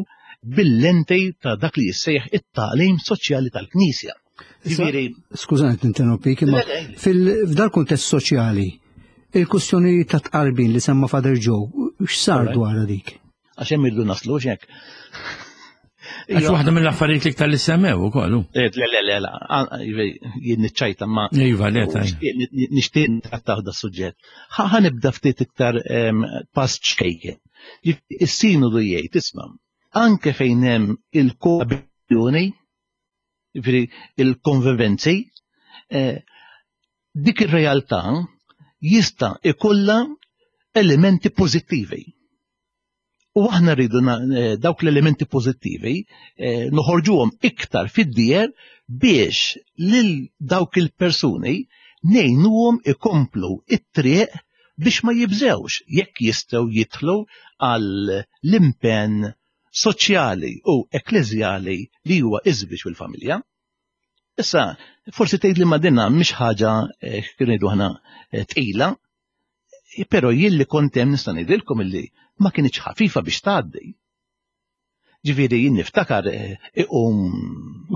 S7: bil-lenti ta' dak li jissejjaħ it-tagħlim soċjali tal-Knisja. Ġifieri.
S6: Skużani tinterrompik, imma fil-f'dal kuntest soċjali, il-kwistjoni ta' tqarbin li semma Father Joe, x'sar dwar dik?
S7: Għax hemm irdu naslu x'hekk.
S2: Għax waħda mill-affarijiet li iktar li semmew ukoll.
S7: Eh, le, le, le, le, jien niċċajta ma.
S2: Iva, le,
S7: Nixtieq nittrattaw da suġġett. Ħa nibda ftit iktar pass ċkejken. Is-sinodu jgħid, isma' anke fejn hemm il-koabitazzjoni, jiġifieri il-konvivenzi, eh, dik ir-realtà jista' ikollha elementi pożittivi. U aħna rridu eh, dawk l-elementi pożittivi eh, noħorġuhom iktar fid-dier biex lil dawk il-persuni ngħinuhom ikomplu it-triq biex ma jibżewx jekk jistgħu jidħlu għal l-impenn soċjali u ekkleżjali li huwa iż-żwieġ u l-familja. Issa, forsi tgħid li ma dinha mhix ħaġa eh, kif ngħidu aħna eh, tqila, però jien li kont hemm nista' ngħidilkom illi ma kinitx ħafifa biex tgħaddi. Ġifieri jien niftakar eh, iqum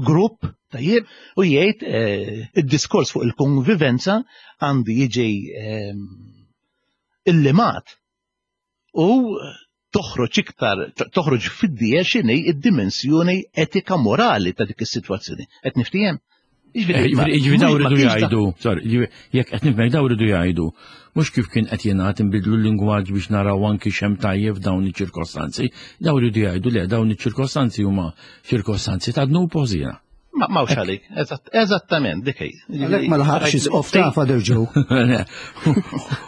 S7: grupp tajjeb u jgħid id-diskors fuq il-konvivenza għandu jiġi illimat u toħroġ iktar toħroġ fid-dieher x'inhi id-dimensjoni etika morali ta' dik is-sitwazzjoni. Qed niftiehem?
S2: Jiġifieri daw ridu jgħidu, sorry, jekk qed nifhem daw ridu jgħidu, mhux kif kien qed jingħad inbidlu l-lingwaġġ biex naraw anki x'hemm tajjeb f'dawn iċ-ċirkostanzi, daw ridu jgħidu le dawn iċ-ċirkostanzi huma ċirkostanzi ta' dnub u ħżiena.
S7: Ma mawx għalik, eżattament, dik hi.
S6: Għalhekk ma laħaqx isqof ta' Father Joe.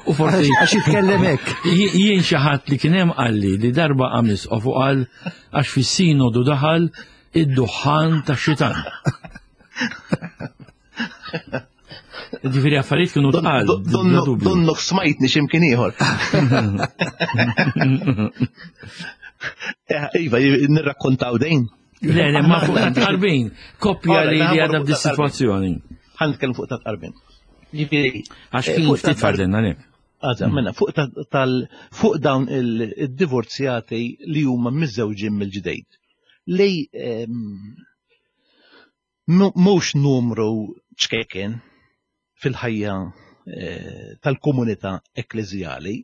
S2: U forsi.
S6: Għax jitkellem hekk.
S2: Jien xi ħadd li kien hemm qalli li darba qam isqof u qal għax fis-sinodu daħal id-duħħan ta' xitan. Ġifieri affarijiet kienu tqal.
S7: Donnok smajtni x'imkien ieħor. Eh, iva, nirrakkontaw dejn.
S2: Le, le, ma fuq ta' tqarbin. Koppja li li għadha f'di situazzjoni.
S7: Ħan nitkellem fuq ta' tqarbin.
S2: Ġifieri. Għax eh, kien ftit fadlenna le.
S7: Għadha, mm. mela, fuq tal fuq dawn il-divorzjati li huma miżżewġin mill-ġdejt. Li ehm, mhux numru ċkejken fil-ħajja eh, tal-komunità ekkleżjali,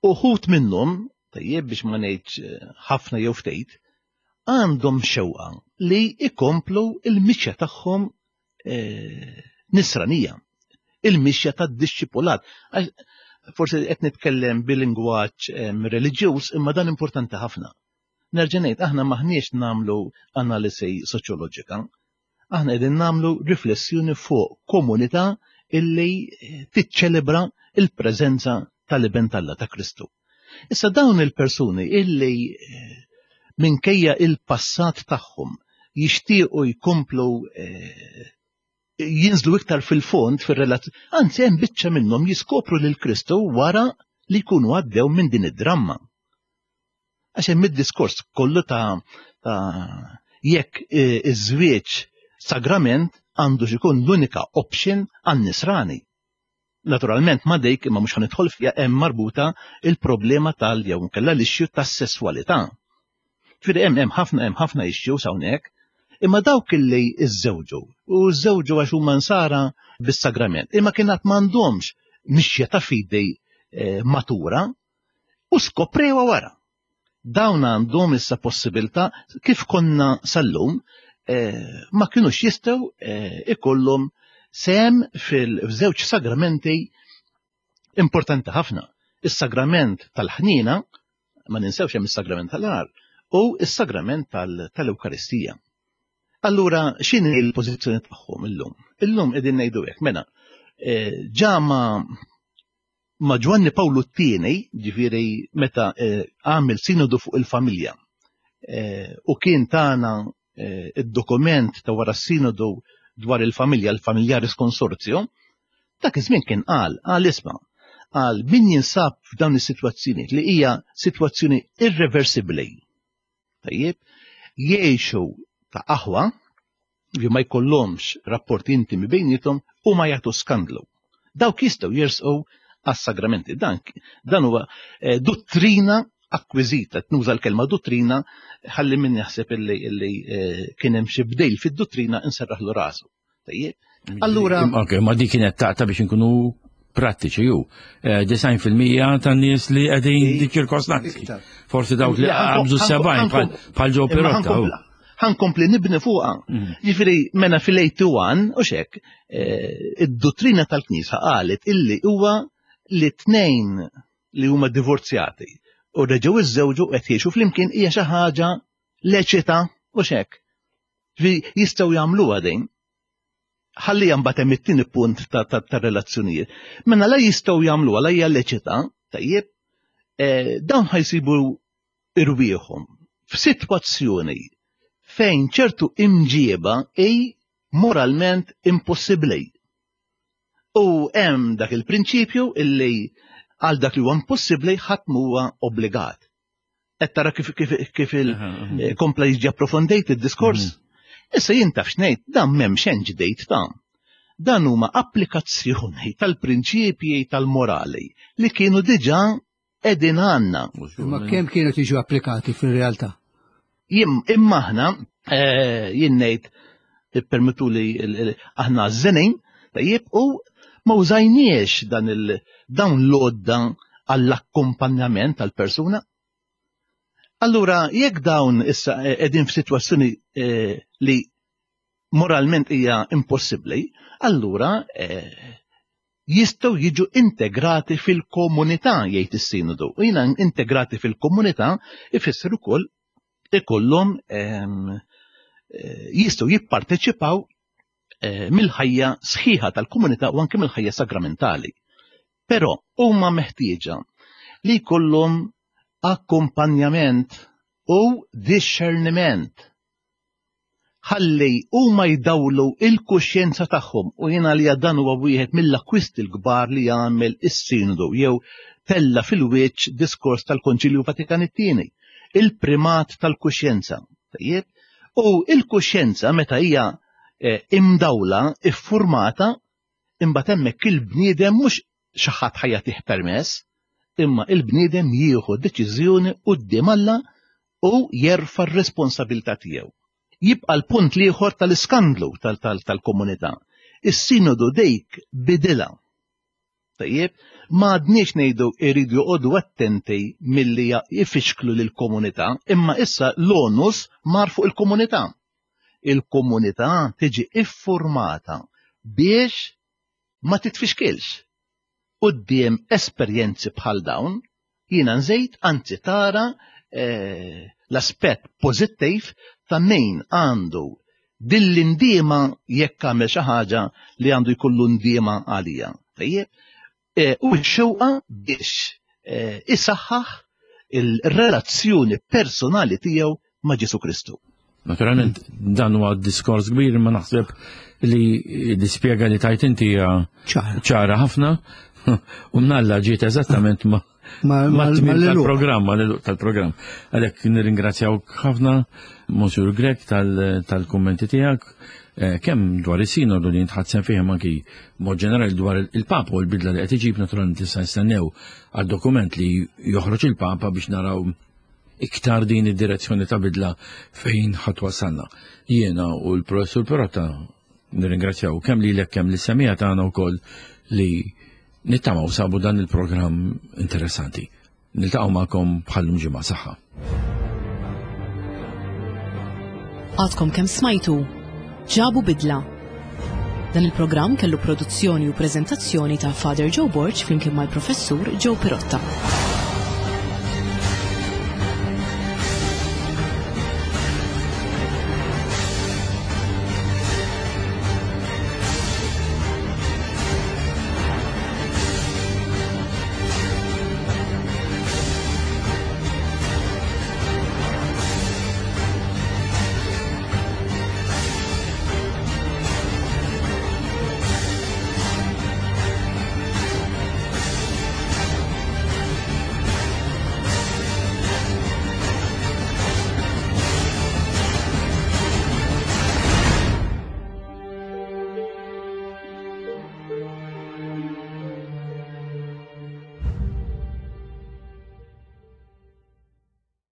S7: Uħud minnhom, tajjeb biex ma ngħidx eh, ħafna jew ftit, għandhom xewqa li ikomplu il-mixja tagħhom eh, nisranija, il-mixja tad-dixxipulat. Forsi qed nitkellem bil-lingwaġġ eh, reliġjuż imma dan importanti ħafna. Nerġa' ngħid aħna maħniex nagħmlu analisi soċjoloġika, Aħna qegħdin nagħmlu riflessjoni fuq komunità illi tiċċelebra il-preżenza tal-Iben t'Alla ta' Kristu. Issa dawn il-persuni illi eh, minkejja il-passat tagħhom jixtiequ jkomplu eh, jinżlu iktar fil-fond fir-relazzjoni, anzi hemm biċċa minnhom jiskopru lil Kristu wara li jkunu għaddew minn din id-dramma. Għax hemm id-diskors kollu ta' ta' jekk e, iż-żwieġ sagrament għandu ikun l-unika option għan-nisrani. Naturalment ma dejk imma mhux ħanidħol fiha hemm marbuta il-problema tal jew nkella l-issue tas-sesswalità. Ġifieri hemm hemm ħafna hemm ħafna issues hawnhekk, imma dawk illi żżewġu u żżewġu għax huma nsara bis-sagrament, imma kien għad m'għandhomx mixja ta' fidi eh, matura, u skoprewha wara. Dawn għandhom issa possibilità kif konna sal-lum eh, ma kinux jistgħu eh, ikollhom sehem fil-żewġ sagramenti importanti ħafna. Is-sagrament tal-ħnina, ma ninsewx hemm is-sagrament tal-għar, u is-sagrament tal-Ewkaristija. Allura x'inhi l-pożizzjoni tagħhom illum? Illum qegħdin ngħidu hekk, mela, eh, ġa ma' ma' Ġwanni Pawlu t-tieni, ġifieri meta eh, għamel sinodu fuq il-familja eh, u kien tana eh, id-dokument ta' wara s-sinodu dwar il-familja, l-Familiaris Consortio, dak iż-żmien kien qal, qal isma' qal min jinsab f'dawn is-sitwazzjonijiet li hija sitwazzjoni irreversibbli. Tajjeb, jgħixu ta' aħwa li ma jkollhomx rapporti intimi bejniethom u ma jagħtu skandlu. Dawk jistgħu jersqu għas-sagramenti. Dan, dan huwa eh, dottrina akkwiżita, nuża l-kelma dottrina, ħalli min jaħseb illi eh, kien hemm xi bdejl fid-dottrina inserraħlu rasu. Tajjeb.
S2: Allura. Ok, ma dik kienet taqta biex inkunu prattiċi ju. Eh, 90% tan-nies li qegħdin di ċirkostanzi. Forsi dawk li qabżu 70 bħal ġo Pirotta.
S7: Ħankompli nibni fuqha. Mm. Ġifieri mena fil-81 u xek, eh, id-dottrina tal-Knisja qalet illi huwa li tnejn li huma divorzjati u reġgħu iżżewġu qed jgħixu flimkien hija xi ħaġa leċita u xek. Jistgħu jagħmluha din. Ħalli mbagħad hemm it-tieni punt ta' relazzjonijiet. Mela la jistgħu jagħmluha la hija leċita, tajjeb, eh, dawn ħajsibu irwieħhom f'sitwazzjoni fejn ċertu imġieba hi moralment impossibbli. U hemm dak il-prinċipju illi għal dak li huwa impossibbli ħadd m'huwa obbligat. Qed tara kif kif kif il eh, kompla jiġi approfondejt id-diskors. Mhm. Issa jien taf x'ngħid dan m'hemm xejn ġdejt ta' dan huma applikazzjoni tal-prinċipji tal-morali li kienu diġà qegħdin għandna.
S6: Imma kemm kienu tiġu applikati fir-realtà?
S7: Imma aħna eh, jien ngħid ippermettu li aħna żenin tajjeb u ma użajniex dan il dawn l-għodda għall-akkompanjament tal-persuna. Allura jekk dawn issa eh, qegħdin f'sitwazzjoni eh, li moralment hija impossibbli, allura jistgħu jiġu integrati fil-komunità jgħid is-sinodu. U jiena integrati fil-komunità ifisser ukoll ikollhom ehm, eh, jistgħu jipparteċipaw eh, mill-ħajja sħiħa tal-komunità u anke mill-ħajja sagramentali. Però huma meħtieġa li jkollhom akkumpanjament u discerniment ħalli huma jdawlu il-kuxjenza tagħhom u jien għalija dan huwa wieħed mill-akkwisti l-kbar li għamel is-Sinodu jew tella fil-wiċċ diskors tal-Konċilju Vatikan it-Tieni, il-primat tal-kuxjenza. Tajjeb? U il-kuxjenza meta hija eh, imdawla, iffurmata, imbagħad hemmhekk il-bniedem mhux xi ħadd ħa jagħtih permess, imma il-bniedem jieħu deċiżjoni quddiem Alla u jerfa' r-responsabilità tiegħu. Jibqa' l-punt l-ieħor tal-iskandlu tal-komunità. Is-sinodu dik bidilha. Tajjeb, ma għadniex ngħidu jridu joqogħdu attenti milli jfixklu lill-komunità, imma issa l-onus mar fuq il-komunità. Il-komunità tiġi iffurmata biex ma titfixkilx quddiem esperjenzi bħal dawn, jiena nżid anzi tara eh, l-aspett pożittiv ta' min għandu din l-indiema jekk għamel xi ħaġa li għandu jkollu ndiema għalija. Tajjeb, eh, u x-xewqa biex eh, isaħħaħ il-relazzjoni personali tiegħu ma' Ġesu Kristu.
S2: Naturalment dan huwa diskors kbir imma naħseb li l-ispjega li tajt inti hija ċara ħafna u mnalla ġiet eżattament ma' tal-programm, tal-programm. Għalhekk nirringrazzjawk ħafna, Monsiur Grek, tal-kummenti tiegħek, eh, kemm dwar is-sinodu li jintħadsen fih anki mod ġenerali dwar il-Papa u l-bidla li qed iġib naturalment issa nistennew għad-dokument li joħroġ il-Papa biex naraw iktar din id-direzzjoni ta' bidla fejn ħadd wasalna. Jiena u l-professur Perotta nirringrazzjaw kemm lilek kemm lis-semija tagħna wkoll li nittamaw sabu dan il-programm interessanti. Niltaqgħu magħkom bħallum ġimgħa saħħa.
S1: Għadkom kemm smajtu ġabu bidla. Dan il-programm kellu produzzjoni u preżentazzjoni ta' Father Joe Borg flimkien mal-professur Joe Pirotta.